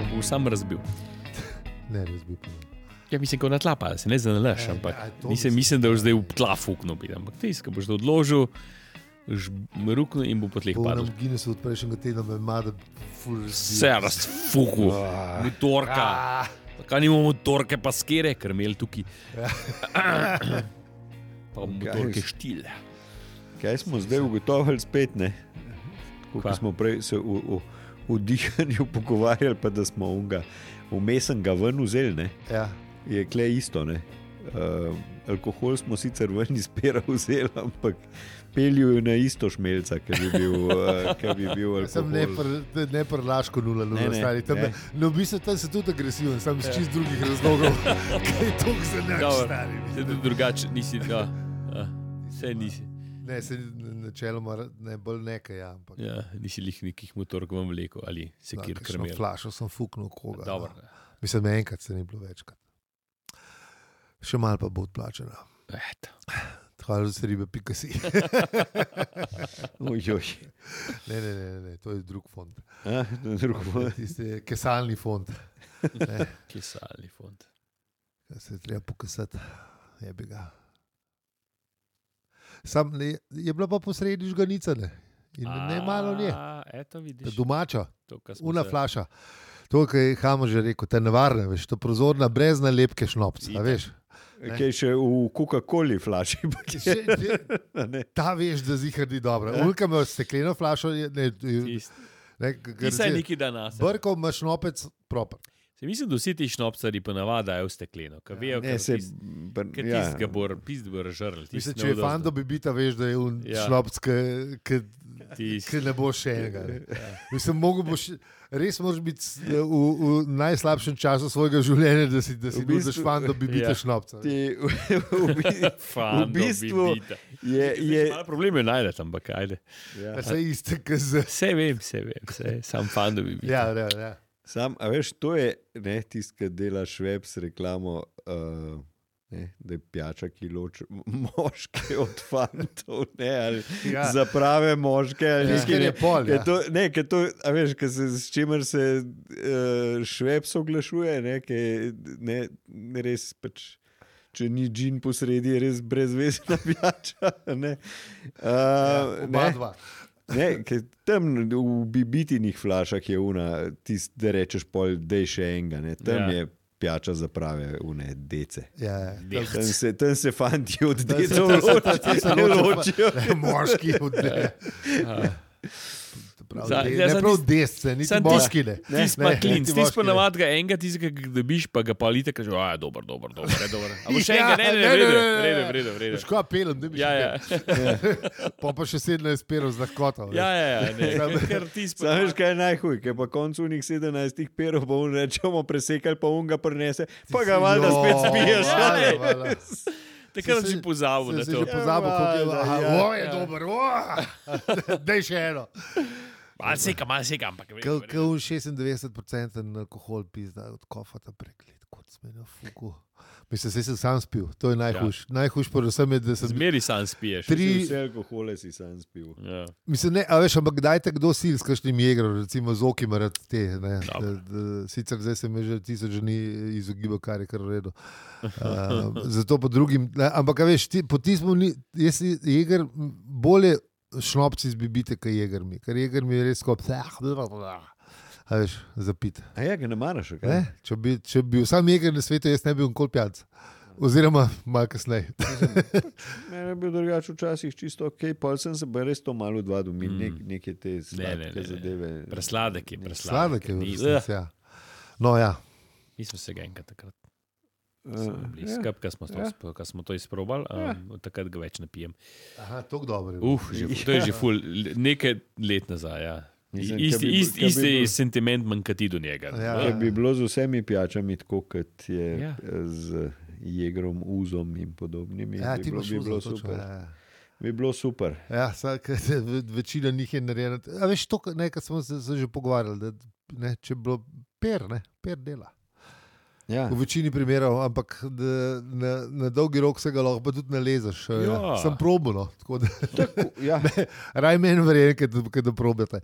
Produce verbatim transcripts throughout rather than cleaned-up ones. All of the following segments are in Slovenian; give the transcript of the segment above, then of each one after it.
bo sam razbil. Ne, razbil pa. Ja, mislim, ko na tla pada, se ne zanalaš, E, ampak ja, to nisem, mislim, mislim, da boš ja. zdaj v tla fuknil, bi, ampak tis, ko boš to odložil, boš ruknil in bo po tleh Po padel. onem Guinnessu od prejšnjega tedna me ima, da ful razbil. Vse razfuku, Ah. motorka. Ah. Kaj nimamo motorke pa skere, ker imeli tukaj. Pa motorke štil. Kaj smo zdaj ugotovili spet, ne? Ko Kva? smo prej se v, v, v dihanju pogovarjali, pa da smo unga vmesen ga ven vzeli, ne? Ja. Je kle isto, ne? Uh, alkohol smo sicer ven iz pera vzeli, ampak pelju je na isto šmelca, ker bi bil, uh, ker bi bil alkohol. Sem ne, pr, ne prlaško nula, nula, Ne, ne, stari. Tam, ne. no, v bistvu tam se tudi agresiven, sam iz čist drugih razlogov. Kaj je to za naš Dobro. stari? Se tudi drugače nisi, ja, ja, vse nisi. Ne, se načeloma ne bolj nekaj, ja, ampak. Ja, nisi lih nekih motork vam vlekel ali se Da, kjer kakšno krmel. flašo sem fuknil koga. Dobro. No. Mislim, enkrat se ni bilo večkrat. Še malo pa bo odplačena. Eto. Hvala za ribe, pika si. Oj, oj. Ne, ne, ne, ne, to je drug fond. A, to je drugo. Tisti je kesalni fond. Ne, Kesalni fond. kaj se je treba pokasati. Jebi ga. Sam ne, je bila pa posredi žganica, ne. In ne malo nje. A, Eto vidiš. Domača, To, kar smo una se- flaša. To, kar je Hamo že rekel, te nevarne, veš, to prozorna brez nalepke šnopca, Itak. veš. Kaj še v Coca-Coli flaši. pa je- Že, že, Ne. ta veš, da zihar ni dobra. Ulka ima stekleno flašo, je- ne, Tist- ne, Ti saj neki dan nas. Brkov ima šnopec proper. Se mislim, da vsi ti šnopcari pa navadajo v stekleno. Ka vejo, Ne, se, Ker ja. tist ga bo, pist bo razžrl. Mislim, če je fando bi bita, veš, da je un Ja. ja. šnopc, ki Tist. ne bo še enega. ne. Mislim, mogo boš, res moraš biti s- v, v najslabšem času svojega življenja, da si, da si V bistvu- nudiš fando bi bita Ja. šnopca. Ti, v, v, bi- Fando v bistvu bibita. je, je, Malo problem je najdete, ampak ajde. ja. Pa se iste, ki z... Vse vem, vse vem, vse, sam fando bi bil. Ja, ja, ja. Sam, a veš, to je ne, tisto, ki dela Švebs reklamo, uh, ne, da je pijača, ki loči moške od fantov, ne, ali Ja. za prave moške. Ali Res, nekaj, ker je pol, Ker ja. to, ne, ker to, a veš, ker se, s čimer se uh, Švebs oglašuje, ne, ker ne, ne res pač. Če ni džin posredi, je res brezvezna pijača. Ne, uh, Ja, oba ne. dva. Ne, ker tam v bibitinih flašah je una, tist, da rečeš pol, da je še enega, ne. Tam Ja. je pijača za prave une dece. Ja, ja. Tam se, tam se fanti od Tam se- decev tam se- ločijo. tam se ne ločijo, ločijo. Ne, moški od ne. Prav, Za- de, ja, ne za prav tis- desce, niti sam moški ne. Ti si pa Ne, klinc, niti ti si moški pa ne. navadga enega, ti si ga dobiš, pa ga palite, kaže, a je dober, dober, dober, je dober. A bo še Ja, enega, ne, ne, ne, ne, ne, vredo, ne, ne. vredo, vredo, vredo. Veš, kaj pelem, da bi Ja, ja, Pa pa še sedemnajst perov z lahkoto. ja, ja, ja, ne, ker- ker ti si pa Sam veš, kaj je najhuj, ker pa koncu unih sedemnajstih perov pa on rečemo presekali, pa on ga prinese, pa ga valjda spet spiješ. Ja, a ne? ja. Valjda. takrat Se- si pozabil na Se to. že pozabil, kako je. Ja, Aha, ja, o, je ja. dober, o, daj še eno. Malo seka, malo seka, ampak vredo, Kot vredo. šestindevetdeset procentov alkohol pizda od kofata preklet, kot sme na fuku. Mislim, se sem sam spil, to je najhujš. Ja. Najhujš predvsem je, da sem... Zmeri sam spiješ. Tri- Vse alkohole si sam spil. Ja. Mislim, ne, a veš, ampak kdaj te kdo sil s kakšnim jegrom, recimo z oki ima rad te, ne. Da, Dobro. da, sicer zdaj se mi že tisoč dni izogibal, kar je kar v redu. Uh, zato po drugim, ne, ampak a veš, ti, po tismu ni, jaz si jeger bolje šnopci zbibite, kaj jeger mi, ker jeger mi je res kot, a veš, zapit. A ja, ga ne maraš, kaj? Ne? Če bi, če bi bil sam jeger na svetu, jaz ne bi bil nikoli pijanec. Oziroma, malo kasneje. Mene je bil drugače včasih čisto ok, pol sem se pa res to malo odvadil, mi Mm. nek, neke te Ne, ne, sladke ne, ne. zadeve. Presladek je, presladek. Sladek je v Ni- resnici, ja. No ja, Nismo se ga enkrat takrat. Uh, ja. Skupaj, ko smo, to Ja. sp- ko smo to izprobali, um, od takrat ga več ne pijem. aha, tako dobro je. Uf, že, to je že ful, nekaj let nazaj. Ja. Mislim, Isti, ke bi- isti, ke bi isti bil- sentiment manjka ti do njega. Ja. Če bi bilo z vsemi pijačami tako, kot je Ja. ja. z jegrom, uzom in podobnimi, Ja, bi ti bilo, imaš bi bilo uzo, točno, super. ja. Bi bilo super. Ja, vsak, večina njih je narejena. A veš, to, kar- ne, kar smo se, se že pogovarjali, da ne, če bi bilo per, ne, per dela. Ja. V večini primerov, ampak da, na, na dolgi rok se ga lahko pa tudi nalezeš. Ja. Sem probuno, tako da Tako, ja. raj meni verjeli, da, da probate.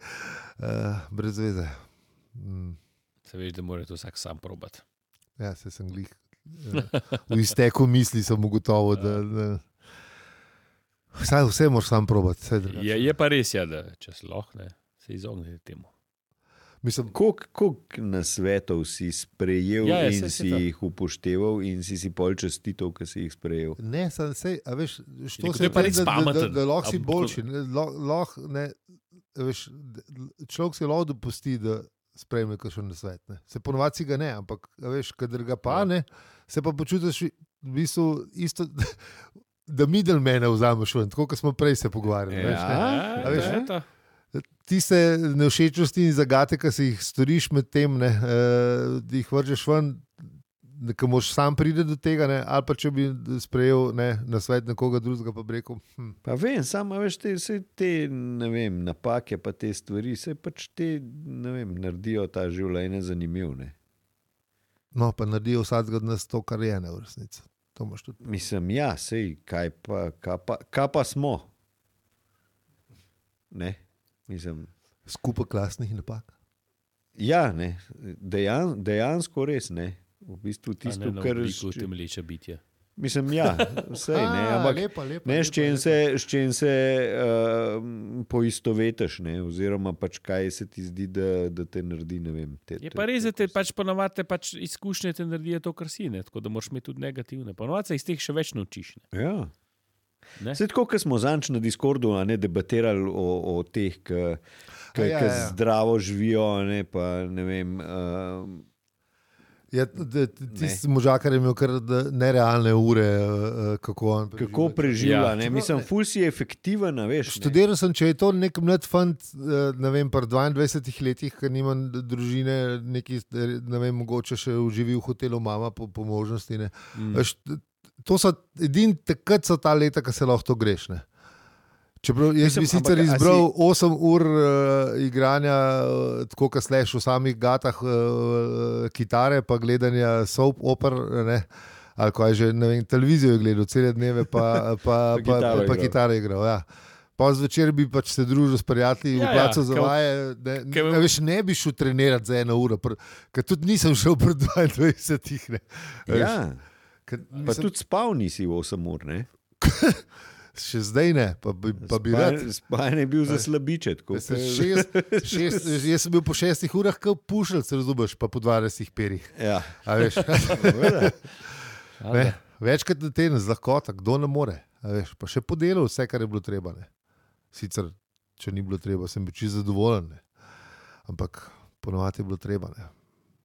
Uh, brez veze. Mm. Se veš, da mora to vsak sam probati. Ja, se sem glih. V izteku misli sem ugotovil, da, da vse, vse moraš sam probati. Je, je pa res, ja, da če se lahko ne, se izognete temu. Mislim, Koliko nasvetov si sprejel Ja, ja, in saj se si to. jih upošteval in si si pol čestitev, ki si jih sprejel? ne, sem se, a veš, što rekel, se to je pa res da, da, da, pameten. da lahko si A, boljši. Ne, lo- lahko, ne, a veš, d- človek si lahko dopusti, da sprejme kakšen nasvet. Ne. Se ponovadi si ga ne, ampak a veš, kadar ga pa Ja. ne, se pa počutiš v bistvu isto, da middlemana vzameš ven, tako kot smo prej se pogovarjali. Ja. Veš, ne. A veš, ja. to? Tiste nevšečnosti in zagate, ki si jih storiš med tem, ne, eh, da jih vržeš ven, da moš sam priti do tega, ne, ali pa če bi sprejel ne, na svet nekoga drugega, pa bi rekel, hm, Pa vem, samo veš, te, vse te ne vem, napake, pa te stvari, se pač te ne vem, naredijo ta življenje zanimivo. Ne? no, pa naredijo vsakega od nas to, kar je ne v resnici. To imaš tudi. Mislim, ja, sej, kaj pa, kaj pa, kaj pa smo? Ne, mislim. Skupaj klasnih napak. Ja, ne, dejan, dejansko res ne. V bistvu A tisto, ne na kar obliku temelječe bitje. mislim, ja, sej, ne, A, ampak lepa, lepa, ne, lepa, s čem lepa. se, s čem se uh, poistovetiš, ne, oziroma pač kaj se ti zdi, da, da te naredi, ne vem. Te, Je pa res, da te pač ponovadi pač izkušnje te naredijo to, kar si, ne? Tako da moraš imeti tudi negativne. Ponovadi se iz teh še več naučiš. Ne? Ja. Ne? Vse tako, kot smo zanč na Discordu a ne, debatirali o, o teh, ki A ja, ja, ja. zdravo živijo, a ne, pa ne vem. Uh, Ja, tisti možakar je imel kar da- nerealne ure, eh, kako on preživlja. kako preživlja. Ja. Ja, mislim, ful si je efektiven, a veš. Ne. Študiral sem, če je to nek mlad fant, eh, ne vem, pri dvaindvajsetih letih, ki nima družine, neki, ne vem, mogoče še uživi v hotelu mama po, po možnosti. Ne. Mm. Veš, to so edini takrat so ta leta, ki se lahko to greš. Ne. Čeprav jaz Mislim, bi sicer ampak, a izbral si- osem ur uh, igranja, uh, tako kot sleš v samih gatah uh, kitare, pa gledanja soap oper, ne, ali kaj že, ne vem, televizijo je gledal cele dneve, pa, pa, Pa pa, pa, kitaro pa igral. kitare igral. Ja. Pa zvečer bi pač se družil s prijatelji, Ja, v placu ja, za kao- vaje. Ne, kao- ne, veš, ne bi šel trenirati za eno uro, pr- ker tudi nisem šel pred dvaindvajsetih. Ne. Veš, Ja, ker pa nisem- tudi spal nisi v osem ur. Ne? Še zdaj ne, pa bi, pa bi rad. Spanje- Spanje je bil za slabiče. tako Jaz sem, ke- šest, šest, jaz sem bil po šestih urah, kot pušelc, razumeš, pa po dvajsetih perih. Ja. A veš, Seveda. ne, večkrat na teden z lahkota, kdo ne more. A veš, pa še podelal vse, kar je bilo treba. Ne. Sicer, če ni bilo treba, sem bil čisto zadovoljen. Ne. Ampak ponovadi je bilo treba. Ne.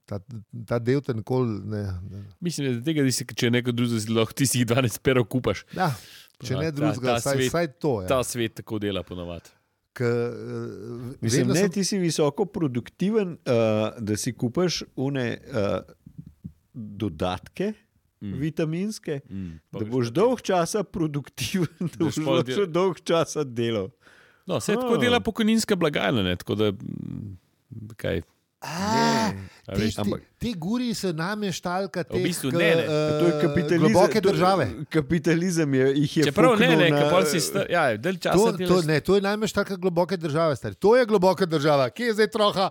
Ta, ta del te nikoli ne. ne. Mislim, da tega, da si, če neko drugo si lahko ti si jih dvanajst perov kupaš. Ja, če Ja, ne ta- drugega, ta saj, svet- saj to je. Ta svet tako dela ponovadi. K, uh, Mislim, ne, ti si visoko produktiven, uh, da si kupaš une uh, dodatke mm. vitaminske, Mm. da boš dolg časa produktiven, da boš pol del- še dolg časa delal. No, vse tako Ah. dela pokojninska blagajna, ne? Tako da mm, kaj. A, A te, veš, te, ampak- te guri se nam je štalka, te V bistvu ne, ne. To je kapitalizem. globoke to- države. Kapitalizem je, jih je Čeprav ne, fuknil ne, na- na, pol si star, ja, del časa To, delaš. to, ne, to je najmanj štalka globoke države. Stari. To je globoka država. Kje je zdaj troha?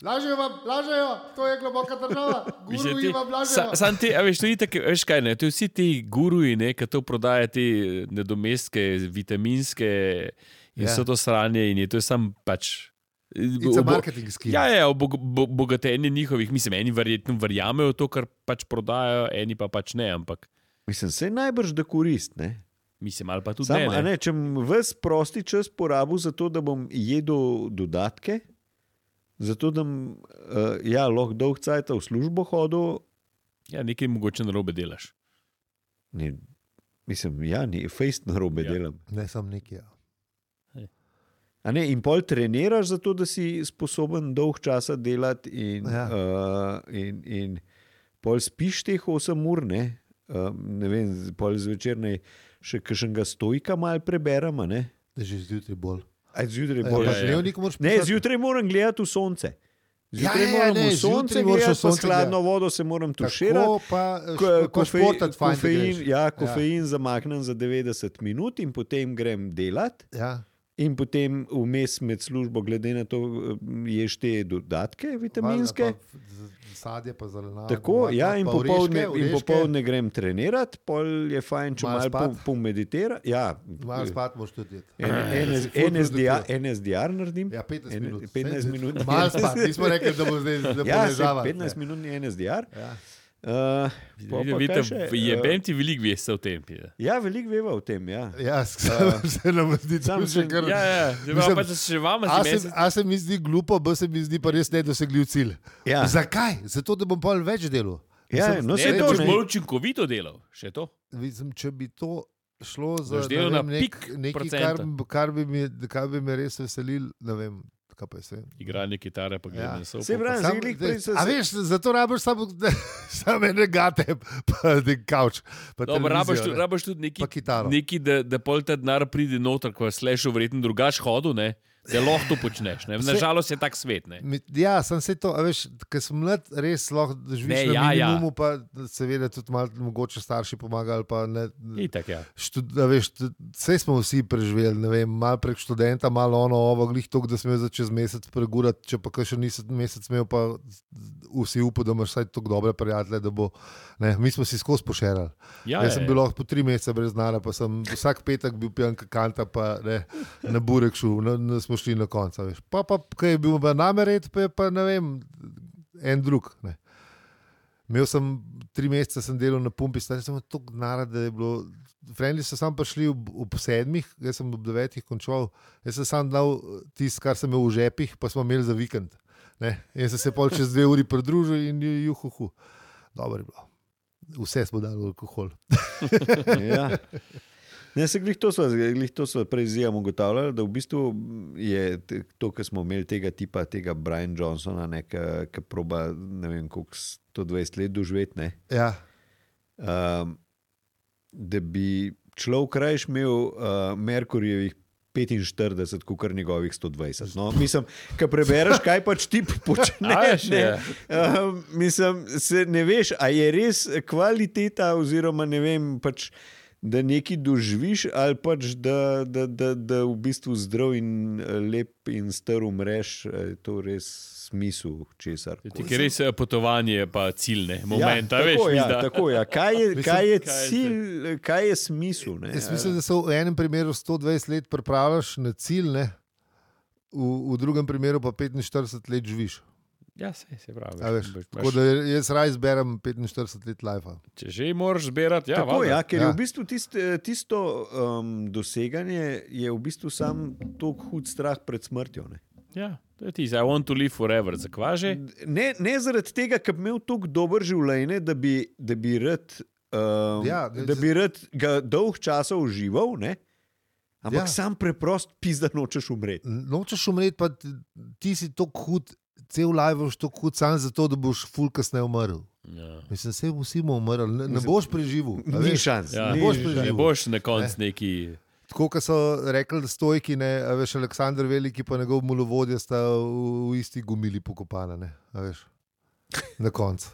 Lažejo vam, lažejo, to je globoka država. Mislim, Guruji ti- vam lažejo. sa- Sam ti, a veš, to je itak, veš kaj, ne, to je vsi ti guruji, ne, ki to prodajajo te nadomestke, vitaminske in Ja. vse to sranje in je to je sam pač. It's a obo- marketing scheme. Ja, ja, bo, bo, bogatenje njihovih, mislim, eni verjetno verjamejo v to, kar pač prodajajo, eni pa pač ne, ampak Mislim, se najbrž da korist. Ne? mislim, ali pa tudi Sam, ne. ne. ne. Ne, če bom ves prosti čas porabil za to, da bom jedel dodatke, zato da bom uh, ja, lahko dolg cajt v službo hodil, Ja, nekaj mogoče narobe delaš. ne, mislim, ja, ni fejst na robe Ja. ja. delam. Ne, sam nekje. Ja. A ne, in pol treniraš zato, da si sposoben dolg časa delati in, Ja. ja. uh, in, in pol spiš teh osem ur, ne, uh, ne vem, pol zvečer ne še kakšnega stojka mal preberem, a ne. Že zjutraj bolj. Aj, zjutraj Ja, bolj. pa ja, ja. dnevnik moraš Ne, pisati. zjutraj moram gledati v sonce. Zjutraj Ja, ja, moram ne, v sonce zjutraj moraš v gledati, pa sonce s hladno vodo se moram tuširati. Tako pa, Ko, špo- pa kofein, športati fajn, da kofein, greš. ja, kofein ja. zamaknem za devetdeset minut in potem grem delat. Ja. In potem vmes med službo, glede na to, ješ te dodatke vitaminske. Sadje pa zelenjavo. Tako, ja, in popoldne, in popoldne grem trenirati, pol je fajn, če malo pol, pol meditira. Ja, malo spat moš tudi jeti. N S D R naredim. Ja, petnajst minut. petnajst minut. Malo spat, nismo rekli, da bo zdaj da ja, poležava. petnajst minutni N S D R. Ja. Uh, Vidite, je ben ti veliko veste o tem. Ja, veliko veva o tem, ja. Ja, se nam zdi, da se kar... Ja, ja, mislim, pa še vama a, se, a se mi zdi glupo, b se mi zdi pa res nedosegljiv cilj. Ja. Zakaj? Zato, da bom pa več delal. Ja, mislim, no se ne, to, da boš ne. bolj učinkovito delal, še to. Mislim, če bi to šlo za Boš delal na nek, pik nekaj, procenta. kar, kar, bi mi, kar bi me res veselil, ne vem, kaj pa je vse. Igranje kitare pa Ja. gledanje Se pravi, Sam, Ziglik, da, prej so a se- veš, zato rabiš samo sam ene gate, pa nek kavč, pa Dobro, rabaš televizijo, tudi, ne. rabaš tudi neki, Pa kitaro. neki da, da pol ta denar pride noter, ko je slešil verjetno drugač hodu, ne? Da lahko to počneš. Ne? Nažalost je tak svet. Ne? Mi- Ja, sem se to, a veš, ker sem mlad, res lahko živiš Ne, na ja, ja. minimumu, pa seveda tudi malo mogoče starši pomagajo, ali pa ne. Itak, ja. Štud, a veš, vse smo vsi preživeli, ne vem, malo prek študenta, malo ono, ovo, glih to, da smo za čez mesec pregurati, če pa kaj še nisi mesec imel, pa vsi upal, da imaš vsaj tako dobre prijatelje, da bo, ne, mi smo si skozi pošerali. Ja, Jaz ja, sem ja. bil lahko po tri mesece brez denarja, pa sem vsak petek bil pijan kakanta, pa ne, na burek šel, na, na, smo šli na konca, veš. Pa, pa, kaj je bil name red, pa je pa, ne vem, en drug, ne. Imel sem tri mesece, sem delal na pumpi, stari sem toliko denarja, da je bilo. Frendi so sam prišli ob, ob sedmih, jaz sem ob devetih končal, jaz sem sam dal tisto, kar sem imel v žepih, pa smo imeli za vikend. Ne. In sem se pol čez dve uri pridružil in juhuhu. Dobro je bilo. Vse smo dali alkohol. Ja. Ne, se glih to sva, glih to sva prej z Ijem ugotavljali, da v bistvu je te- to, kar smo imeli tega tipa, tega Brian Johnsona, ne, ki proba, ne vem, koliko sto dvajset let doživeti, ne, Ja. um, da bi človek rajš imel uh, Merkurjevih petinštirideset, kot njegovih sto dvajset. No, mislim, ko prebereš, kaj pač ti A počneš, veš, ne, ja. uh, mislim, se ne veš, a je res kvaliteta, oziroma ne vem, pač, da nekaj doživiš, ali pač, da, da, da, da v bistvu zdrav in eh, lep in star umreš, je to res smisel česar. Ti je res eh, potovanje, pa ciljne momenta, ja, veš, tako, ja, mislim, da- tako, ja. Kaj je, Mislim, kaj je kaj je cilj, kaj je smisel? Ne? Jaz mislim, da se v enem primeru sto dvajset let pripravljaš na cilj, ne? V, v drugem primeru pa petinštirideset let živiš. Ja, se, se pravi. A veš, Veš, tako imaš- da jaz raj zberem petinštirideset let lajfa. Če že moraš zbirati, ja, Tako, valjda. ja, ker Ja. je v bistvu tist, tisto um, doseganje je v bistvu sam tako hud strah pred smrtjo. Ne, Ja, to je tisto, I want to live forever, zakva že? ne, ne zaradi tega, ker bi imel tako dober življenje, da bi, da bi rad, um, Ja, ja, ne, da bi rad ga dolg časa užival, ne? Ampak Ja. ja. sam preprost pizda nočeš umreti. Nočeš umreti, pa ti, ti si tako hud, cel live boš tako hud sam zato, da boš ful kasneje umrl. Ja. Mislim, se vsi bomo umrli, ne, ne boš preživel. a Ni veš. šans. Ja, Ne ni boš šans. preživel. Ne boš na koncu neki. Tako, kot so rekli, da stojki, ne, a veš, Aleksandr Veliki pa njegov mulovodja sta v, v isti gumili pokopana, ne, a veš, na koncu.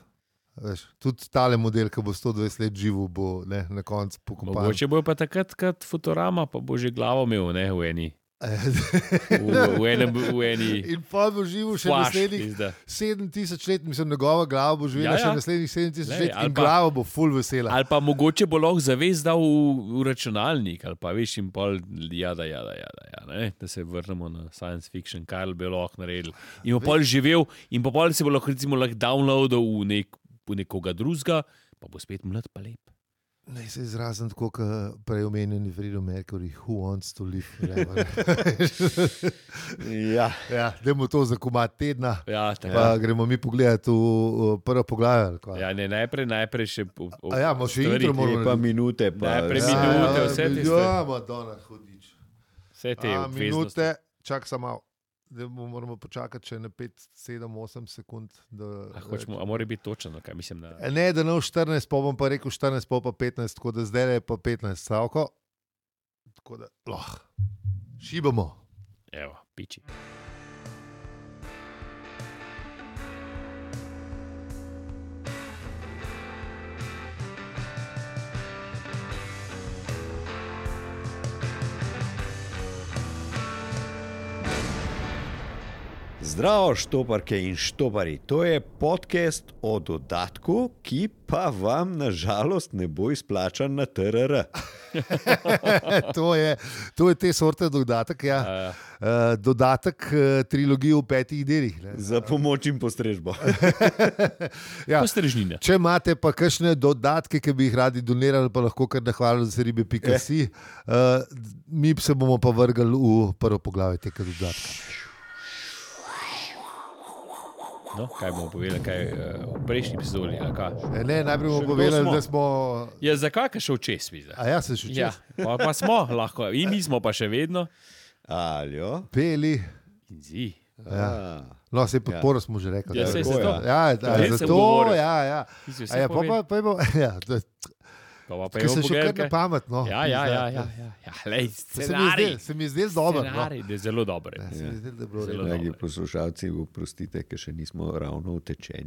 A veš, tudi tale model, ki bo sto dvajset let živel, bo ne, na koncu pokopan. Mogoče bo pa takrat, kot Futurama, pa bo že glavo imel, ne, v eni. V, v, enem, v eni. In pa bo živel še Flash, naslednjih pizda. sedem tisoč let, mislim, njegova glava bo živela Ja, ja, ja. ja. še naslednjih sedem tisoč Glej, let ali in pa- glava bo full vesela. Ali pa mogoče bo lahko zavest dal v, v računalnik, ali pa veš, in pol, jada, jada, jada, ja, ne? Da se vrnemo na science fiction, kaj bi lahko naredili. In bo pol živel, in po pol se bo lahko, recimo, lahko downloadal v, nek, v nekoga drugega, pa bo spet mlad pa lep. Ne se izrazim tako, kot prej omenjeni Fredo Mercury, who wants to live forever. Ja. Ja, dajmo to za komad tedna, Ja, tako. pa gremo mi pogledati v, v prvo poglavje. ali kaj? Ja, ne, najprej, najprej še. O, o, A ja, imamo še stvari, intro, moramo Pa narediti. minute. Pa, Najprej ja. minute, vse te stvari. Ja, Madonna, hudič. Vse te A, obveznosti. minute, čak samo malo. Da moramo počakati še na pet, sedem, osem sekund. Da, A, hočemo, a mora biti točen, kaj mislim. Da... Ne, da ne v štirinajst, pa bom pa rekel štirinajst, pa pa petnajst, tako da zdaj je pa petnajst stavko. Tako da, loh, šibamo. Evo, piči. Zdravo, štoparke in štopari. To je podcast o dodatku, ki pa vam nažalost ne bo izplačan na T R R. to, je, to je te sorte dodatek, ja. Uh, dodatek uh, trilogije v petih delih. Ne. Za pomoč in postrežbo. ja. Postrežnine. Če imate pa kakšne dodatke, ki bi jih radi donirali, pa lahko kar nahvalili za ribe pika si, uh, mi se bomo pa vrgali v prvo poglavje tega dodatka. No, kaj bomo povedali, kaj uh, v prejšnji epizodi? E, ne, najprej bomo povedali, smo? da smo. Ja, zakaj je šel čez? A ja, se še čez. Ja, pa, pa smo lahko, in mi smo pa še vedno. Aljo. Peli. In zi. Ja. No, se podporo ja. smo že rekli. Ja, se je to. Ja, da, ja, zato, ja, ja. A ja, pa pa, pa, pa, ja, da, Pa pa Ker se še kar na pamet. No. Ja, ja, ja. ja, ja. ja lej, scenarij. Se mi je zdel dobro. Scenarij, da je zelo dobro. Ja, se mi je zdel, da je bilo Zelo Dragi dobro. poslušalci, oprostite, ker še nismo ravno utečeni.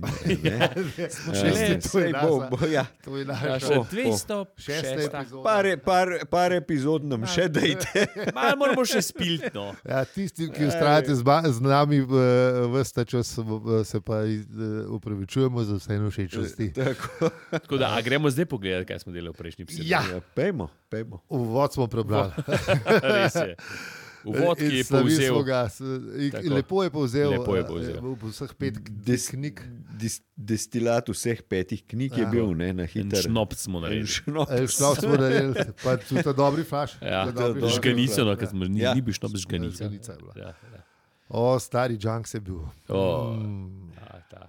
To je bo, bo, ja. To je Ja, naša še Oh, dvesto šesta šesta. epizoda. par, par, par epizod nam še dajte. Malo moramo še spilti, no. Ja, tisti, ki ustrajate z, ba- z nami ves ta čas, eh, se pa iz- eh, upravičujemo za vse nevšečnosti. Tako. Tako da, a gremo zdaj pogledati, kaj smo delali v prejšnji epizodi. Ja. Ja, pejmo, pejmo. Uvod smo prebrali. Res je. Uvod, ki je In slavili povzel. smo ga, s- in- Tako. Lepo je povzel. Lepo je eh, povzel. v vseh pet Des, knjig. dis, destilat vseh petih knjig je Ja. bil, ne, na En hiter. šnop smo En naredili. šnop. Eh, Šlo smo naredili, pa tudi ta dobri flaš. Ja, Ta dobri to- flaš. žganico, no, Ja. ker smo ni, Ja. ni bil šnop z žganico. Žganica je bila. Ja, ja. O, stari junk se je bil. O, Mm. ta, ta.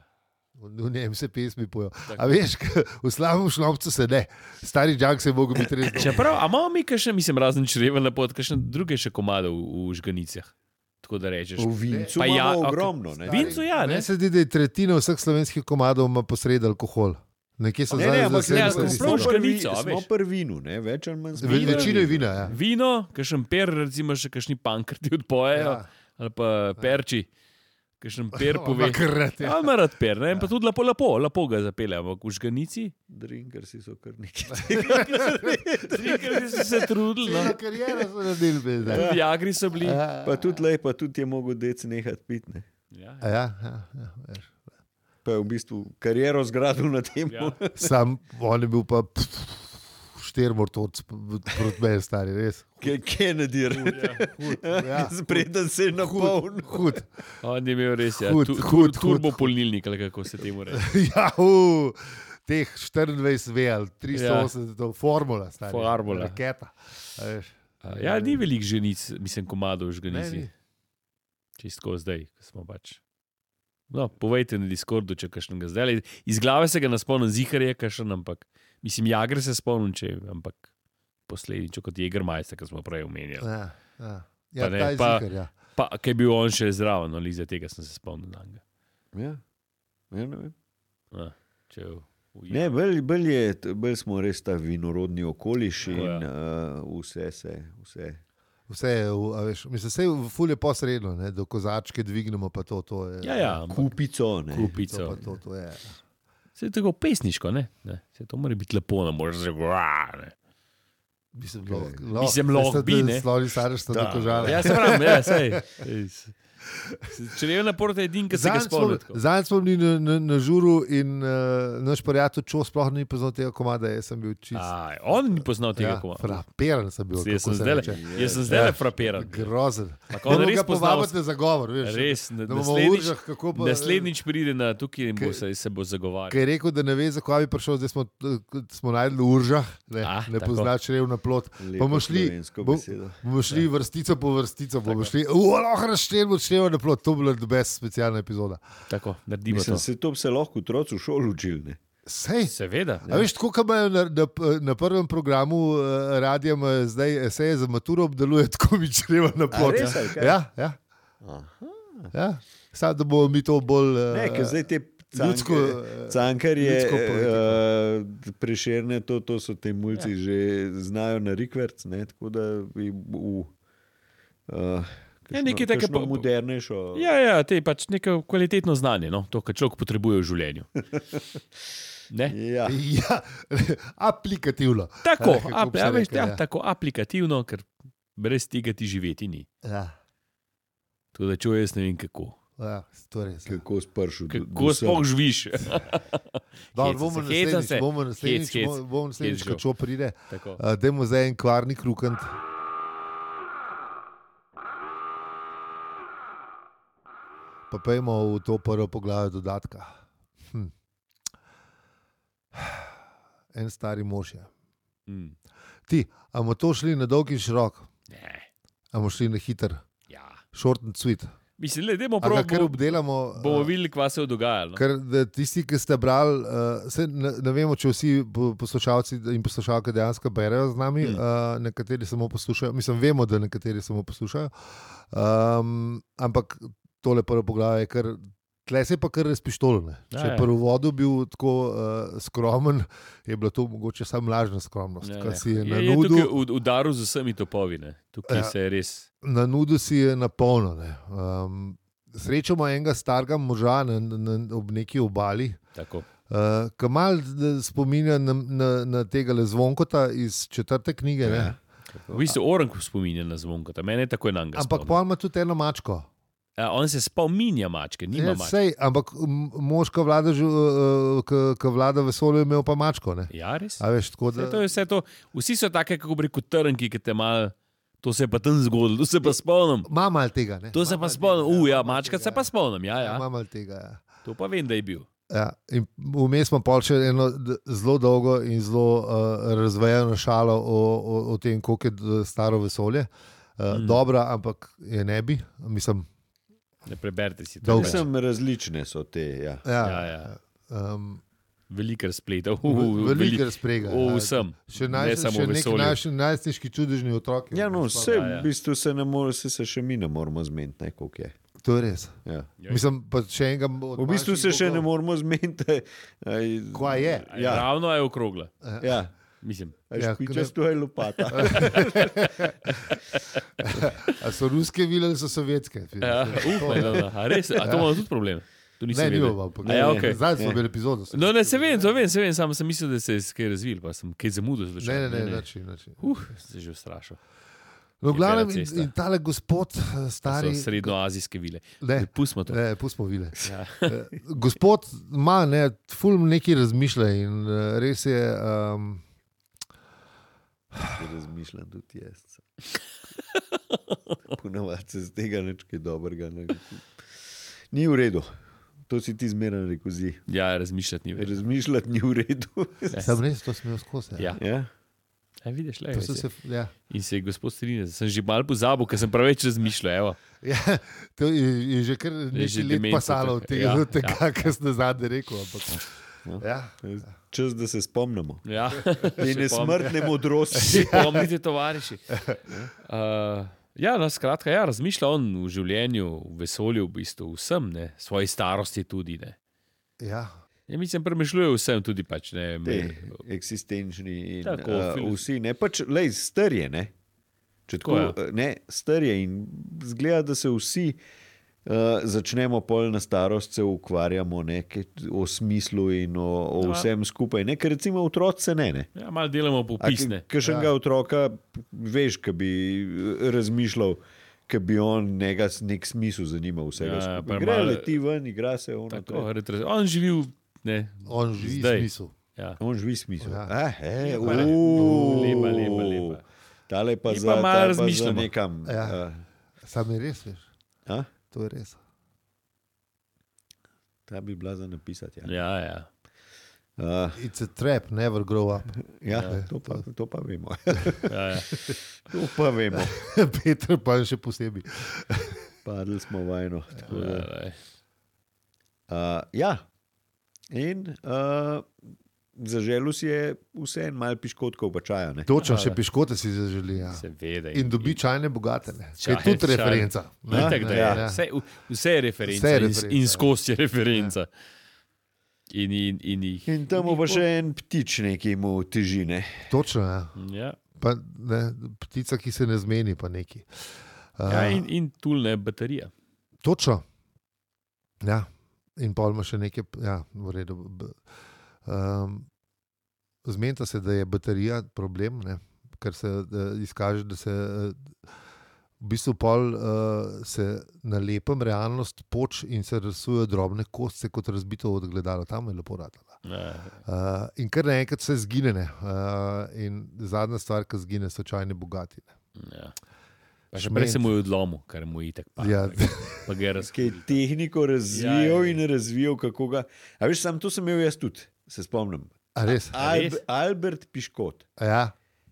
V njem se pesmi pojo. A veš, k- v slabem šlopcu se ne. Stari junk se je mogel biti res dober. Čeprav, a imamo mi še, mislim, razen čreva na pot, kakšne druge še komade v, v žganicah. Tako da rečeš. V vincu Pa ja, imamo ok. ogromno. Ne? Vin- Vincu ja, ne? Meni se zdi, da je tretjina vseh slovenskih komadov ima posred alkohol. Nekje so Ne, ne, zdaj ampak zasebne ne, smo smo statistične. prav prvi, žganico, a smo veš. prvinu, ne, več ali manj smo. Ve- Večino je vina, ja. Vino, kakšen per, recimo še kakšni pankrti odpojejo, Ja. ali pa perči, kakšen per pove. Makrat, ja. Ja, ima rad per, ne? In pa tudi lepo, lepo, lepo ga zapelje, ampak v žganici, Drinkersi so kar neki. ker so se trudili, no. Cela kariera so naredili bez da. Tudi Jagri so bili. Ja, Pa tudi lej, pa tudi je mogel dec nehati piti. Ne. Ja, ja, ja, ja, veš. Pa je v bistvu kariero zgradil na tem. ja. Sam on je bil pa štirmortoc proti meni, stari, res. Kennedy, Ja. spreden se je napolnil. Hud. On je imel res, ja, Hud, tu, hud, tur, hud, turbo hud. polnilnik, ali kako se temu reče. Ja, uh, teh štiriindvajset ve ali tristo osemdeset, ja. Formula, stari. Formula. Raketa. A veš. Ja, ni veliko ženic, mislim, komadov v Ne, žganici. ni. Čistko zdaj, ko smo pač. No, povejte na Discordu, če kakšnega zdaj. Iz glave se ga ne spomnim, zihar je kakšen, ampak mislim, Jagr se spomnim, če, ampak posledično kot Jägermeister, ki smo prej omenjali. Ja, ja. Ja, Pa ne, ta je pa- zikar, ja. Pa, kaj je bil on še zraven, no, za tega sem se spomnil. na njega. Ja. Ja, ne, vem. A, če v, v, ne, bolj, bolj, je, bolj smo res ta vinorodni okoliš in Tako, uh, vse se. Vse. Vse je, v- a veš, mislim, vse je ful je posredno, ne, do kozačke dvignemo, pa to, to je. Ja, ja, ampak Kupico. Ne. To, kupico. pa to, to je. Se je tako pesniško, ne? ne? Se to mora biti lepo, ne moreš reči. Mislim, Okej. lahko, Mislim, lahko bi, ne. Slovni starš sta Da. tako žal. Ja, se pravi, ja, sej. Če ne na porta, je edin, ki se ga spomni. tako. Zanj smo bili na, na, na žuru in uh, naš prijatelj Čo sploh ni poznal tega komada, jaz sem bil čist. Aj, on ni poznal tega Ja, komada. frapiran sem bil. Jaz kako sem se zdaj, reče. jaz sem zdaj Ja. le frapiran. Grozen. Ampak on Moramo res ga poznal- povabiti na zagovor, veš. Res, Da na- bomo v naslednjič, Uržah, kako pa- naslednjič pride na tukaj in bo Kaj- se, se bo zagovarjal. Ker je rekel, da ne ve, zakaj bi prišel, zdaj smo, smo najdli v Uržah, ne, Ah, ne tako. pozna črev na plot. Lepo Bomo šli, slovensko bo, besedo. bomo šli vrstico po vrstico, bomo šli, lahko razštevamo črev na plot, to bo bila best specialna epizoda. Tako, naredimo Mislim, to. se to bi se lahko otroci v šoli učili. ne. Sej. Seveda. A veš, tako kot imajo na, na, na prvem programu uh, radia, imajo zdaj eseje za maturo, obdeluje tako mi čreva na plot. res, ali kaj? Ja, ja, Aha. ja. Samo da bomo mi to bolj. Uh, Ne, ker zdaj te ljudsko, cankarje, cankarje ljudsko politiko. uh, prešerne, to, to so te mulci ja. že znajo na rikverc, ne, tako da bi v uh, Ja, nekaj take po- modernejšo. Ja, ja, te pač neko kvalitetno znanje, no? To, kar človek potrebuje v življenju. Ne? Ja. Ja, aplikativno. Tako, Kako ap, bi se ja, veš, rekel, ja, ja. tako aplikativno, ker brez tega ti živeti ni. Ja. Tako da čuj, jaz ne vem kako. Ja, to je res. Ja. Kako spršil. Kako sploh živiš? Dobro, bomo se, hecam naslednjič, se. bomo naslednjič, Hec, hec. bomo- bomo naslednjič, Hec, ko žal. čo pride. Tako. Uh, dajmo zdaj en kvarnik rukant. Pa pojmo v to prvo poglavje dodatka. Hm. En stari mož je. Mm. Ti, a bomo to šli na dolg in širok? Ne. A bomo šli na hiter? Ja. Short and sweet. Mislim, le, dajmo A ga kar prav, obdelamo? bomo uh, videli, kva se je dogajalo. No? Ker da tisti, ki ste brali, uh, se, ne, ne vemo, če vsi po- poslušalci in poslušalke dejansko berejo z nami, Mm. mm. uh, nekateri samo poslušajo. Mislim, vemo, da nekateri samo poslušajo. Um, ampak tole prvo poglavje je kar. Tle se je pa kar razpištolne. Ja, Če je ja. prvi vodu bil tako uh, skromen, je bila to mogoče samo lažna skromnost. Ja, Ja, ja. si je Je, na je nudu, tukaj ud- udaril z vsemi topovi. Ne? Tukaj Ja. se je res. na nudu si je napolno. Ne. Um, srečamo enega starega moža na, na, ob neki obali, Tako. uh, ki mal spominja na, na, na tega Zvonkota iz četrte knjige. Ne. Ja. V bistvu Orang spominja na zvonko, mene je takoj na njega. Ampak pa ima tudi eno mačko. Ja, on se spominja mačke, nima Ja, mačke. sej, ampak m- mož, ki vlada, žu- uh, ki- ki vlada vesolju, je imel pa mačko. Ne. Ja, res. A veš, tako Vse da, to je vse to. Vsi so take, kako bi rekel, trnki, ki te mal. To se je pa tam zgodilo, to se pa spomnim. ima mal tega. Ne. To se Ima pa malo spomnim. tega, U, ja, ima malo mačka tega, se pa spomnim. Ja, ja. Ima mal tega. Ja. To pa vem, da je bil. Ja, in vmes smo pa še eno d- zelo dolgo in zelo uh, razvejeno šalo o, o, o tem, koliko je d- staro vesolje. Uh, Mm. mm. Dobra, ampak je ne bi. Mislim, Ne preberite si to. Dolgo. preveč. Mislim, različne so te. Ja. ja, Ja, ja. Um, Veliko razpletov. Veliko razprega. O ja. vsem. Še, Ne naj, samo še v neki vesolju. naši najstniški čudežni otroci. Ja, no, vse, Ja, ja. v bistvu se, ne more, se, se še mi ne moramo zmeniti, ne, koliko je. To je res. Ja. Ja. Mislim, pa še enega. od V bistvu se manjših še ne bogov. moramo zmeniti. aj- Kva je? Ja. Ravno je okrogla. Ja, Mislim. Ja, ja špičasto je lopata. A so ruske vile ali so sovjetske? Ja, upaj, no, no. A res? A to ima tudi problem? To nisem Ne, ni vedel. bilo. ampak- A ja, okej. Zdaj smo Ne. imeli epizodo. No, ne, se vem, to vem, se vem, samo sem mislil, da se je kaj razvil, pa sem kaj zamudil. Ne, ne, ne, način, način. Uh, se že ustrašil. No, v glavnem, bela in, cesta. in tale gospod, eh, To stari. so srednjoazijske vile. Ne, Pustimo to. ne, pustimo vile. Ja. Eh, Gospod ima ne, ful neki razmišlja in eh, res je. Um, Razmišljam tudi jaz. Ponavadi se z tega nič kaj dobrega ne naučim. Ni v redu. To si ti zmeraj rekel, zi. ja, razmišljati ni več. Razmišljati ni v redu. sem res to smel skozi. Ja. Ja. Ja, vidiš, le, To res sem je. se, ja. In se je gospod strinjal, sem že mal pozabil, ker sem preveč razmišljal. Evo. Ja, to je, je že kar že nekaj let demenca pasalo od taka. tega, Ja, ja, tega ja, ja, kar ste zadnje rekel. Ampak, No. ja. Čas, da se spomnimo. Ja. Te nesmrtne modrosti. Si pomnite, tovariši. Uh, ja, no, skratka, ja, razmišlja on v življenju, v vesolju, v bistvu vsem, ne, svoji starosti tudi. Ne. Ja. Ja, mislim, premišljuje vsem tudi pač. Ne, Te me, eksistenčni in Tako, uh, filoz- vsi. Ne, pač, lej, starje, ne. Če tako, Tako, tako ne, starje in zgleda, da se vsi uh, začnemo pol na starost se ukvarjamo ne, ke- o smislu in o, o Ja. vsem skupaj. Ne, ker recimo otroci se ne. ne. ja, malo delamo popisne. Kakšnega ja. otroka veš, ki bi razmišljal, ki bi on nega, nek smisel zanimal vsega. Ja, Ja, pa gre, malo- leti ven, igra se ono. Tako, retre- on živi v. Ne, On živi Zdaj. smisel. ja. On živi smisel. Ja. Ah, he, Lepa, ne? uuu. Lepa, lepa, lepa. Tale pa Mi za, pa malo ta pa za razmišljamo. nekam. Ja. Uh, Sam je res, veš. a? To je res. Ta bi bila za napisati. Ja. Ja, ja. Uh, It's a trap, never grow up. ja, Ja, to, pa, to pa vemo. ja, ja. to pa vemo. Peter pa še posebej. Padli smo vajno. tako da. Ja, ja. Uh, ja, in uh, zaželil si je vse en mal piškotkov pa čaja. Ne? Točno, Ja, še ja. piškote si zaželi. Ja. Seveda. In dobi čajne bogate. Ne. Čaj- Je tudi čaj- referenca. ne. Itak, da je. Ja. Vse, vse je referenca, Vse je in, referenca, in ja. skozi je referenca. In, in, in, jih- In tam in pa jih še en ptič nekaj mu teži. Ne? Točno, ja. bo- Ja, Pa, ne, ptica, ki se ne zmeni, pa neki. Uh, ja in, in tulne baterija. Točno. Ja. In pol ima še nekaj, ja, v redu. B- Um, Zmenita se, da je baterija problem, ne? Ker se da izkaže, da se uh, v bistvu pol uh, se na lepem realnost poč in se risujejo drobne kostce kot razbito odgledalo. Tam je lepo ratala. Uh, in kar naenkrat vse zgine. Uh, in zadnja stvar, ki zgine, so čajne bogatine. Ja. Pa še prej se mu je odlomil, kar mu je itak pa. Ja. Pa ga je razkril. Tehniko razvijal Ja, ja. in razvijal, kako ga. A veš, sam to sem imel jaz tudi, se spomnim. A res? Alb, Albert Piškot. Ja.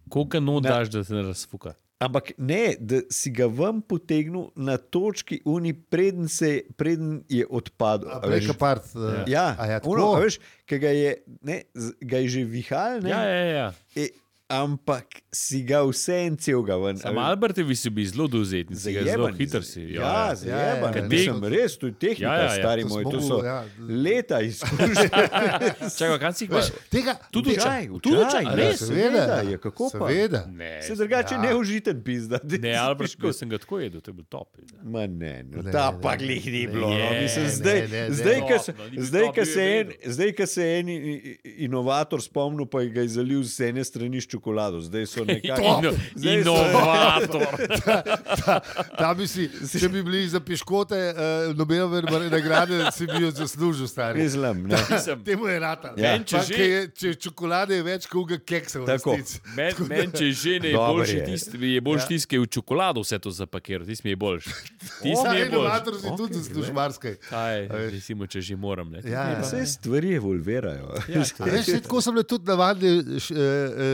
Koliko not Na- daš, da se ne razfuka? Ampak ne, da si ga ven potegnil na točki uni, preden, se, preden je odpadel. A A veš? preka part. Uh, Ja, a ja, ono, tako? a veš, ki ga je, ne, z- ga je že vihal, ne, Ja, ja, ja. e, ampak si ga vse en celega ven. a Sam veš. Albertovi si bil zelo dovzetni, si ga zelo Zajeban, hiter si. Ja, zajeban. ja, ja. Mislim, res, to je tehnika, Ja, ja, ja. stari To moj, smo to mu, so ja. leta izkušnje. Čakaj, kaj si jih imaš? Tega, Tudi tega- čaj, Učaj, tudi učaj, čaj, ja, res? seveda, je, kako pa? Seveda. Ne, Se drugače Ja. neužiten pizda. ne, Albert, ko sem ga tako jedel, to je bil top. Ma ne, no, Ne, ta ne, pa ne, glih ni ne, bilo. No. ne, Mislim, ne, zdaj, ne, ne. zdaj, ko se, Top, no, ni bil zdaj, top, ko bil se je en, vedel. zdaj, ko se en i- i- inovator spomnil, pa ga je zalil z ene strani s čokolado. Zdaj so nekako. Ino, Zdaj so- inovator. Ta bi si, če bi bili za piškote, uh, Nobelove nagrade, si bi jo zaslužil, stari. Mislim, ne. Mislim, Temu je rata. Ja. Men, če Pa, že- ke je, če čokolade je več kot uga keksa v Tako. resnici. Men, men, če že ne je Dober boljši, je. tisti je boljši tisti, ki je v čokolado vse to zapakiral, tisti mi je boljši. Tisti mi Stari je boljši. inovator si tudi Ok, zasluži marsikaj. Kaj, recimo, če že moram. Ne. Ja, ja. Vse stvari evolvirajo. Ja, A veš, saj tako so bile tudi navadne, š- eh,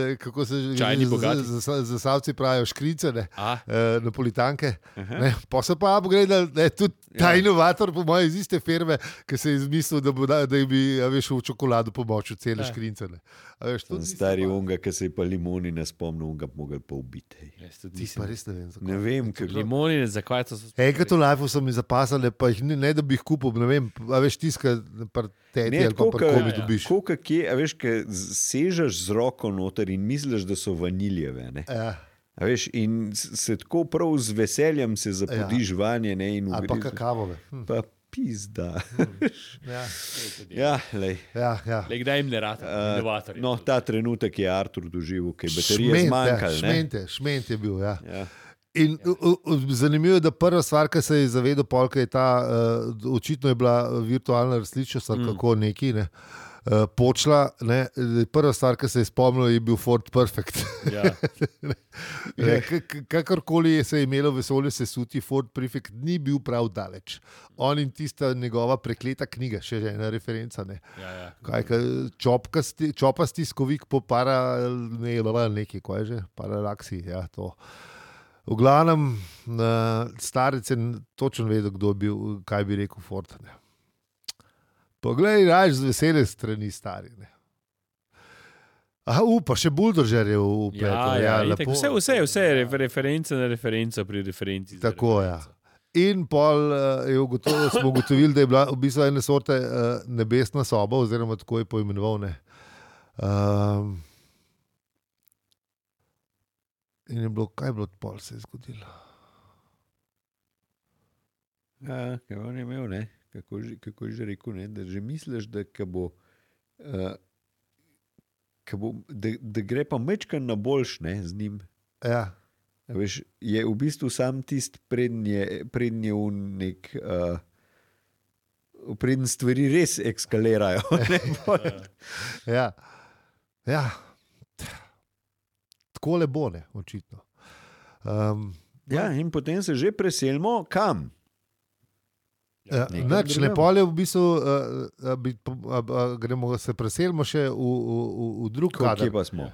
eh, kako se že Čajni bogati. za, za, za savci pravijo, škrice, ne, A? eh, napolitanke. Ne, pa se pa pogledali, da je tudi ta Ja. inovator, po mojem, iz iste firme, ki se je izmislil, da, bo, da, da jim bi a veš, v čokolado pomočil cele Ja. škrince. Ne. A veš, tudi isto Stari pa- unga, ki se je pa limoni ne spomnil, unga bi mogel pa ubiti. Jaz tudi Ti nisem. pa res ne vem, zakaj. Ne vem, kako. Limonine, zakaj to so? Enkrat v lifeu so mi zapasali, pa jih ni, ne da bi jih kupil, ne vem, a veš, tiska teti Ne, ali pa tako, pri ke- komi ja, ja. dobiš. Koliko kje, a veš, ki sežeš z roko noter in misliš, da so vaniljeve. Ne? Ja. A veš, in s- se tako prav z veseljem se zapodiš vanje, ne, in Ali pa ugriz- kakavove. Hm. Pa pizda. Ja, Ja, lej. ja. ja. Le, kdaj jim ne rata, Uh, inovatorji. no, ta trenutek je Artur doživel, ki je baterije Šment, ja, zmanjkalo. ne. šmente, šment je bil. Ja. Ja. In u, u, zanimivo je, da prva stvar, ki se je zavedel, polka je ta, uh, očitno je bila virtualna resničnost ali Mm. kako neki, ne, uh, počla. Ne, prva stvar, ki se je spomnil, je bil Ford Perfect. Ja. Ne, k- k- Kakorkoli se je imelo vesolje sesuti, Ford Perfect ni bil prav daleč. On in tista njegova prekleta knjiga, še ena referenca. Ne. Ja, ja. Kaj, kaj, čopkasti, čopasti skovik po para, ne, ne, nekaj, kaj je že, paralaksi, ja, to. V glavnem, uh, starec je točno vedel, kdo je bil, kaj bi rekel Ford. Ne. Poglej, raž z vesele strani stari. Ne. Aha, upa, še buldožer je upletel. Ja, ja, ja, itak, vse, vse, vse je refer- referenca na referenca pri referenci. za Tako, ja. referenco. In pol uh, je ugotovil, smo ugotovili, da je bila v bistvu ena sorte uh, nebesna soba, oziroma tako je poimenoval. Ne. Um, in je bilo, kaj je bilo, pol se je zgodilo. Ja, kaj on je imel, ne? Kako, že, kako je že rekel, ne? Da že misliš, da, ka bo, uh, ka bo, da, da gre pa mečkan na boljš ne, z njim. Ja. A Veš, je v bistvu sam tisti prednje, prednje v nek. Uh, Preden stvari res ekskalirajo. Ne, pol. Ja. Ja. Tako le bo, ne, očitno. Um, Ja, in potem se že preselimo kam? ja, nekam Nič, ne drugam. pol je v bistvu, uh, bi, a, a, gremo se preselimo še v, v, v, v drug Kje kader. pa smo?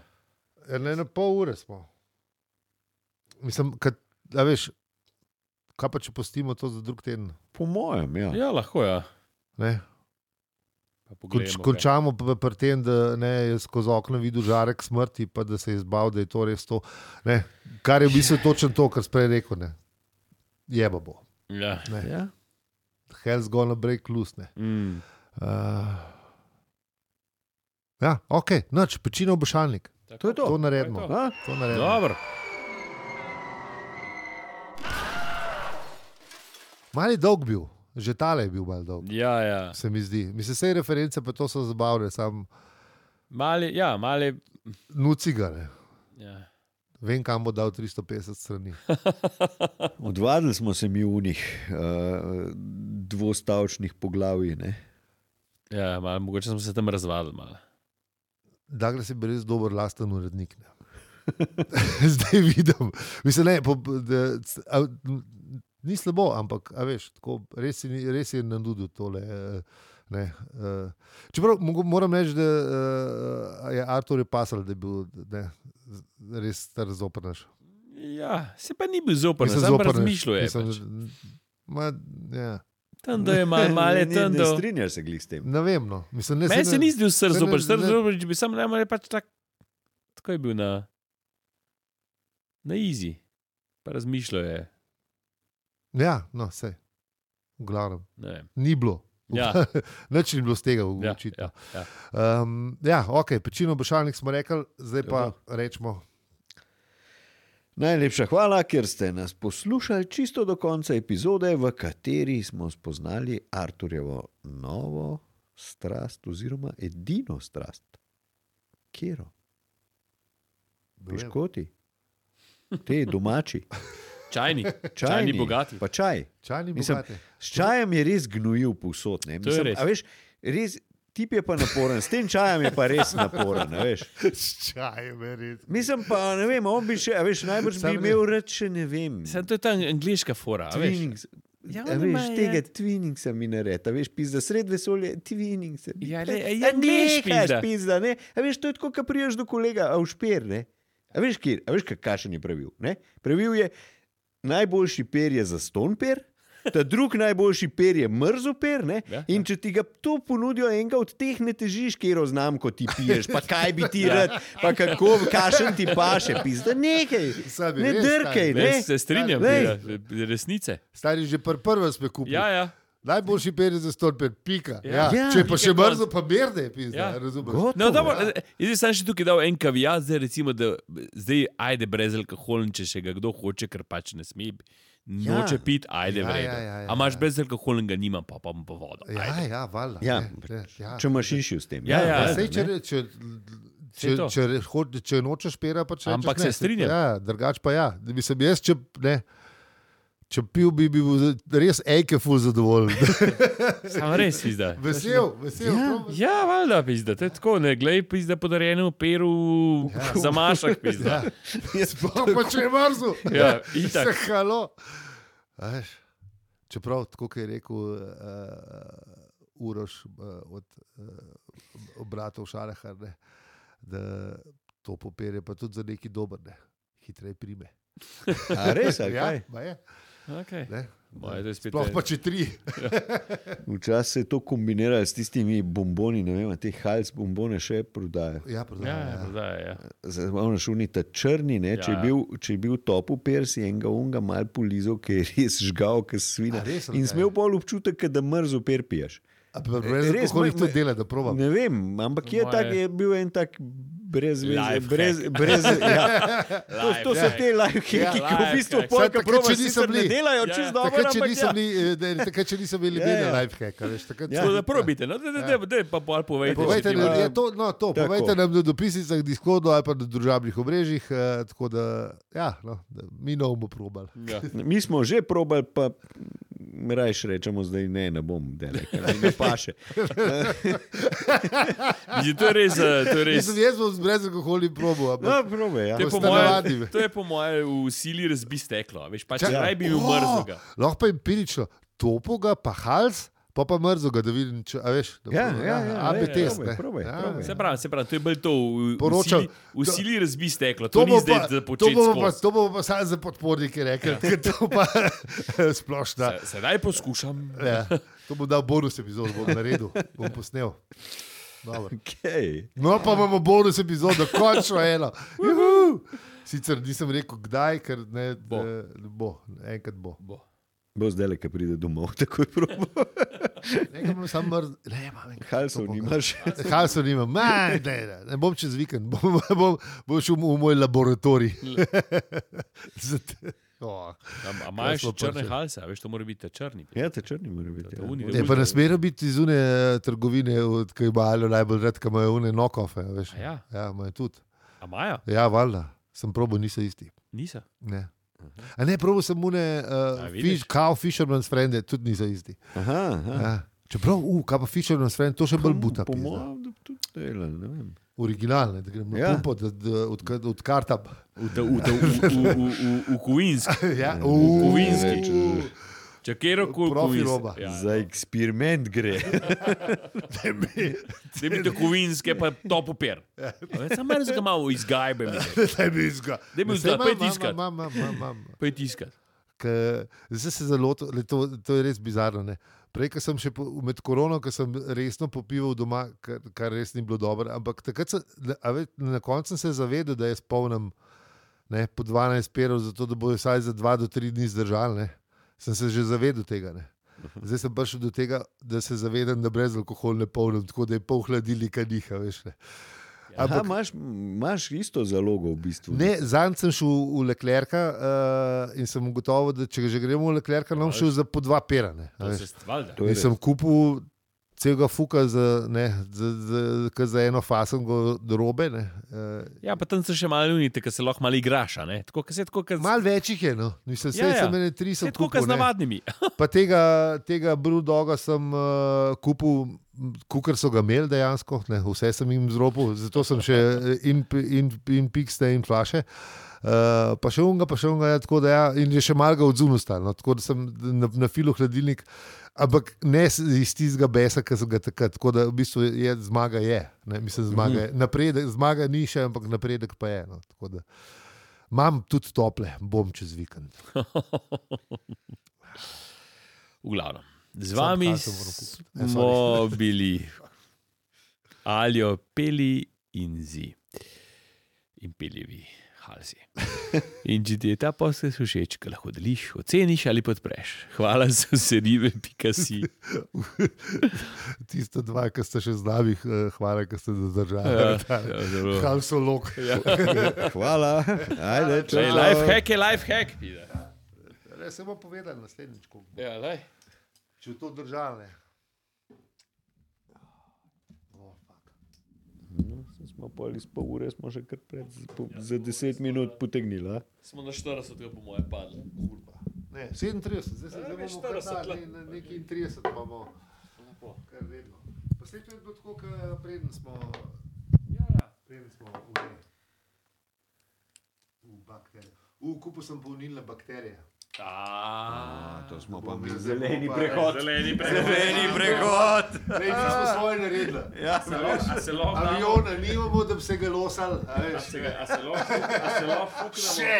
Ja, ne, na pol ure smo. Mislim, kad, a veš, kaj pa če postimo to za drug teden? Po mojem, ja. Ja, lahko ja. Ne? Pa Konč, poglejmo, kaj. končamo p- pri tem, da ne, je skozi okno videl žarek smrti, pa da se je zbal, da je to res to. Ne? Kar je v bistvu točno to, kar sprej rekel. Ne? Jeba bo. Ja. Ne? Ja. Hell's gonna break loose. Ne? Mm. Uh, ja, ok, noč, pečino obešalnik. To je to. To naredimo. To je to. A? To naredimo. Dobro. Mali dolg bil, že tale je bil mal dolg. Ja, ja. Se mi zdi. Mislim, vse reference pa to so zabavne, sam Mali, ja, mali. nucigane. Ja. Vem, kam bo dal tristo petdeset strani. Odvadili smo se mi v njih uh, dvostavčnih poglavij. Ne? Ja, malo, mogoče smo se tam razvadili. Malo. Douglas je bil res dober lasten urednik. Ne. Zdaj vidim. Mislim, ne, po, da, a, ni slabo, ampak a veš, tako, res, je, res je nadudil tole. Ne, uh, čeprav moram reči, da uh, je Artur je pasal, da je bil ne, res star zoprnaš. Ja, se pa ni bil zoprnaš, sam pa razmišljal je. Mislim, ma, ja. Tam, da je malo mal je tam, da... Ne strinjaš se glih s tem. Ne vem, no. Mislim, ne, Meni se, se ne, ni zdel sr zoprnaš, sr ne- zoprnaš, če bi sam najmanj pač tak, tako je bil na, na easy, pa razmišljal je, Ja, no, sej. V glavnem. ne vem. Ni bilo. Ja. Nič ni bilo z tega Ja, očitno. ja, ja. Um, ja, ok, pečino obošalnik smo rekli, zdaj pa Ja. rečemo. Najlepša hvala, ker ste nas poslušali čisto do konca epizode, v kateri smo spoznali Arturjevo novo strast oziroma edino strast. Kjero? Piškoti? Te domači? Čajni, Čajni, čajni bogati. Pa čaj. Čajni Mislim, bogati. S čajem je res gnojil povsod. Ne? To je Mislim, res. a veš, res, tip je pa naporen, s tem čajem je pa res naporen. a Veš. S čajem je res. Mislim pa, ne vem, on bi še, a veš, najbrž Sam bi ne- imel reč, še ne vem. Sem to je ta angliška fora, a veš. Twinings. Ja, A oni veš, imajo, tega ja. twiningsa mi naredi, a veš, pizda, sred vesolja, twinningsa. Ja, le- ja, angleš, pizda. pizda, ne? A veš, to je tako, ko priješ do kolega, a v šper, ne? A veš, kjer, a veš, kakšen je pravil, ne? Pravil je, najboljši per je za ston per, ta drug najboljši per je mrzo per, ne? Ja, In če ti ga to ponudijo enega od teh, ne težiš, kjero znam, ko ti piješ, pa kaj bi ti rad, pa kako, kašen ti paše, pizda, nekaj, Sad je ne res, drkaj, stari. ne? Ne, se strinjam, Lej. ja, resnice. Stari že pr prvo sme kupili. Ja, ja. Najboljši per je za ston per, pika. Ja. Ja. Ja. Če pa še Pika brzo, pa merne, pizda, Ja. razumeš? Gotovo. No, dobro, jaz sem še tukaj dal en kavijat, zdaj recimo, da zdaj ajde brez alkohola, če še ga kdo hoče, ker pač ne sme, Ja. noče piti, ajde Ja, v redu. ja, ja, ja, A imaš ja. brez alkohola, ga nimam, pa pa bom pa vodo. Ja, Ajde. ja, valjda. Ja, ne, ne, ja. Če imaš inšil s tem. Ja, ja, Ja, ja, sej, če, ne. če, Sej če, to. če, če, če nočeš pera, pa če Ampak se strinjam. Ja, drugač pa ja. Mislim, jaz, če, ne, če pil bi bil res ejke ful zadovoljen. Samo res, pizda. vesel, vesel. Ja. prav vesel. Ja, valjda, pizda, to je tako, ne glej, pizda podarjenemu peru Ja. za mašak, pizda. Ja. Sploh pa če je mrzel. Ja, itak. Se halo. A veš, čeprav, tako kot je rekel uh, Uroš uh, od uh, obratov Šarahar, ne, da to popere pa tudi za neki dober, ne, hitreje prime. A res, ali Ja, kaj? ma je. Okay. Ne. Moje, to je spet Sploh en- pa če tri. Včasih se je to kombiniralo s tistimi bomboni, ne vem, te hals bombone še prodajajo. Ja, Ja, prodaja, ja, ja. prodaja, ja. Zdaj, šuni ta črni, ne, če, je Ja. bil, če je bil topu per, si enega unga mal polizal, ki je res žgal, ki svina. A res, ali In kaj? smel pol občutek, da mrzo per piješ. A pa brez Res, alkohola moj- to moj- dela, da probam. Ne vem, ampak je, Moje- tak, je bil en tak brez veze. Life Brez, hack. brez, ja. to, to so Life te life hacki, Ja, ki v life bistvu hack. polka Takrat, proba če niso sicer ne bili- delajo Ja, čist dobro, Takrat, če ampak niso ja. bili, eh, ne, takrat, če niso bili Ja, imeli ja. lifehacka, veš, takrat Ja. Tako da probite, no, da, da, da, da pa bolj povejte. Povejte, če ti nam, bo- je to, no, to, Tako. povejte nam na dopisnicah, Discordu ali pa na družabnih omrežjih, eh, tako da, ja, no, da mi ne bomo probali. Ja. Mi smo že probali, pa rajš rečemo zdaj ne, ne bom delal, ker mi ne paše. Mislim, to je res, eh, to je res. Mislim, jaz bom z brezalkoholnim probo, No, ampak probe, ja. To je, po ste moje, navadni. to je po moje v sili razbi steklo. a Veš, pač Čak- raj bi bil O, mrzlega. lahko pa empirično, topoga, pa hals, pa pa mrzoga, da vidim, če, a veš, da Ja, probam, ja, ja, A B ja, test, probaj, ne. probaj, Ja, probaj. ja. Se pravi, se pravi, to je bolj to, v, v, Poročal- sili, v sili razbi steklo. To To ni bo zdaj pa, za to početi bomo pa, skozi. to bomo pa samo za podpornike rekli, ker to pa splošna. Se- Sedaj poskušam. Ja, to bom dal bonus epizod, bom naredil, bom posnel. Dobro. Okay. No, pa imamo bonus epizodo, končno eno. Juhu! Sicer nisem rekel, kdaj, ker ne Bo. eh, bo, enkrat bo. Bo. Bo zdaj, ki pride domov, takoj probo. Nekaj imam samo mrz, ne, imam enkrat. Halsov nimaš. Halsov nimam, Ma, ne, ne, ne bom čez vikend, bom, bom, bom šel v moj laboratorij. Zat- oh. A, a imaš smo črne prišli. halse, a veš, to mora biti ta črni. Ja, te črni mora biti. To Ja. uni- Je pa ne smejo biti iz une trgovine, ki imajo najbolj rad, ki imajo une nokofe, veš. A ja, Ja, imajo tudi. a imajo? Ja, valjda. sem probal, niso isti. Niso. Ne. A ne, probal sem une, uh, fish, cow fisherman's friend, tudi niso isti. Aha, aha. Ja. Čeprav, uh, kaj pa fisherman's friend, to še bolj buta. Po pizda. mojem, da tudi dela, ne vem. Originalne, da grem na Ja. pumpo, da, da od, od karta. V, v, v, v, v, v, v Kuinski. Ja, V Kuvinski. uh, Če kjer koli Profi roba. Ja. Za eksperiment gre. Da bi to Kuvinske pa to popir. Sam meni ga malo izgajbe. Da bi izga. Da bi Saj vzgal, pojdi imam, iskat. imam, imam, imam, imam. Pojdi iskat. Ke- Zdaj se zelo, to, to je res bizarno. Ne? Prej, ko sem še po, med korono, ko sem resno popival doma, kar, kar res ni bilo dobro, ampak takrat sem, a ve, na koncu sem se zavedel, da jaz polnem ne, po dvanajst perov, zato da bojo vsaj za dva do tri dni zdržali. Ne? Sem se že zavedel tega. Ne? Zdaj sem prišel do tega, da se zavedam, da brez alkohola ne polnim, tako da je pol hladilnika diha. Veš, ne? Aha, Ampak, imaš, imaš isto zalogo v bistvu. ne, zanj sem šel v Leclerca uh, in sem ugotovil, da če že gremo v Leclerca, nam šel za po dva pera. Ne, a To veš. se stvalda. To je In sem kupil celega fuka za, ne, za, za, za, za eno fasengo robe. Ne. Uh, Ja, pa tam se še malo unite, ker se lahko malo igraš. a ne? Tako, ker se tako, ker Mal več jih je, no. Mislim, Ja, ja, ja. sem ene tri se sem tako, ker kupil. z ne. navadnimi. Pa tega, tega Brudoga sem uh, kupil, kukar so ga imeli dejansko, ne, vse sem jim zropil, zato sem še in, in, in pikste in flaše. Uh, pa še unga, pa še unga, ja, tako da ja, in je še malo ga odzunil stal, no, tako da sem na, na filu hladilnik, ampak ne s- iz tistega besa, ki sem ga takrat, tako da v bistvu je, zmaga je, ne, mislim, zmaga je, napredek, zmaga ni še, ampak napredek pa je, no, tako da imam tudi tople, bom čez vikend. V glavnem. Z Sam vami kaj sem moral kupiti. Eh, smo bili Aljo, Peli in Zi. In peljevi halsi. In če ti je ta podcast všeč, ga lahko deliš, oceniš ali podpreš. Hvala za vse ribe, pika si. Tiste dva, ki ste še z nami, eh, hvala, ki ste zadržali. Ja, ja, zelo. Halsolog. Ja. Hvala. Ajde, čau. Ej, life hack je life hack. pide. Ne, se bomo povedali naslednjič, ko bo. Ja, lej. Če bo to držali. Oh, fuck. No, saj smo pol iz pol ure, smo že kar pred, po, za deset minut potegnili. A? Smo na štirideset, po moje padli. Kurva. Ne, sedemintrideset, zdaj se Ja, zdaj ne, bomo kar štirideset, dali, le. na nekaj trideset imamo, Lepo. kar vedno. Pa slej to je bilo tako, kot preden smo, Ja, ja. preden smo v, v bakterije. V kupu sem polnilne bakterije. A, To smo pa mi zeleni pa- prehod. Zeleni prehod. Zeleni prehod. Lej, mi smo svoje naredili. Ja, Se lahko- a se lahko damo- Aviona nimamo, da bi se ga losali. a A veš. se ga- a se lahko a se lahko fuknemo? Še!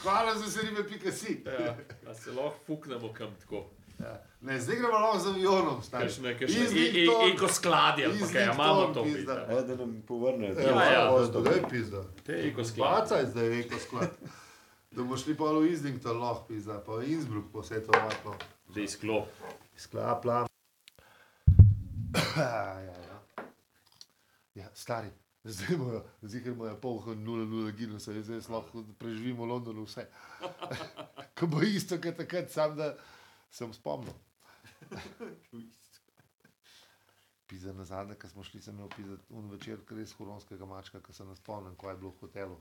Hvala za vse ribe, pika si. Ja, a se lahko fuknemo kam tako. Ja. Ne, zdaj gremo lahko z avionom. stari. Kakšne, kakšne, Islington, e- e- ekoskladje, ali pa kaj, a imamo to. Islington, pizda. pizda. da nam povrnejo. Ja, ja. ja, da je pizda. Te ekosklad. Bacaj zdaj eko sklad. Da bomo šli pa v Islington, lahko pizda, pa v Innsbruck, pa vse to vatno. Da izklop. Sklad, plan. ja, ja. Ja, stari. Zdaj imajo, zihar imajo polh nula nula ginusa, zdaj lahko preživimo v Londonu vse. Ko bo isto, kot takrat, sam da sem spomnil. Pizza na zadnje, ko smo šli, sem imel pizza un večer, res huronskega mačka, ko se ne spomnim, ko je bilo v hotelu.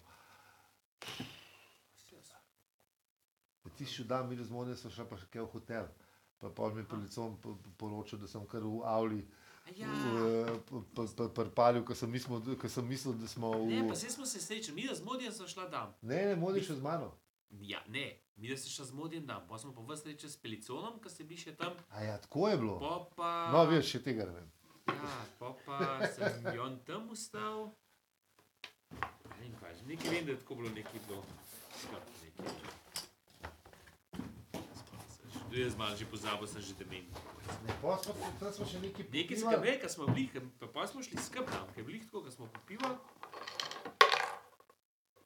Ti si dan, mi razmodne so šla pa še kaj v hotel. Pa pol mi je policom poročal, da sem kar v avli Ja. prpalil, ko sem mislil, ko sem mislil, da smo v... Ne, pa zdaj smo se srečali, mi da z Modijem smo šla tam. Ne, ne, modi še z mano. Ja, ne, mi da se šla z Modijem tam, pa smo pa vas srečali s Peliconom, ki ste bili še tam, A ja, tako je bilo. pa pa... No, veš, še tega ne vem. Ja, pa pa sem Jon tam ustal. Ne vem kaj, že nekaj vem, da je tako bilo nekaj bilo. Skrb, nekaj. Spomnim se, že- tudi jaz malo že pozabil, sem že demen. Ne, pa smo, tam smo še nekaj Nekaj popivali. skrb, ko smo bili, ke- pa, pa smo šli skrb tam, ker je bili tako, ko smo popivali,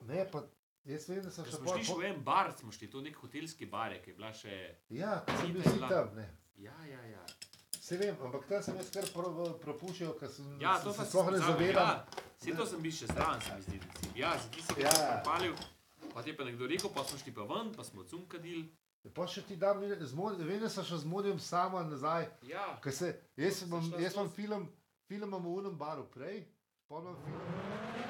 Ne, pa jaz vem, da sem ko še smo pol... šli še v en bar, smo šli, to nek hotelski bar, je, ki je bila še... Ja, ko sem bil Zita je si bila. tam, ne. Ja, ja, ja. Se vem, ampak tam sem jaz kar pro- propuščal, ker sem Ja, se to pa se sploh ne zavedam. Ja, vse to sem bil še zraven, se mi zdi. da si- Ja, za tisti, ki Ja. sem palil, pa ti je pa nekdo rekel, pa smo šli pa ven, pa smo cum kadili. Pa še ti dam, z mod- vem, da sem še z Modijem sama nazaj. Ja, Ker se, jaz, Sem imam, šla jaz imam skozi. film, film imam v unem baru prej, pa imam film.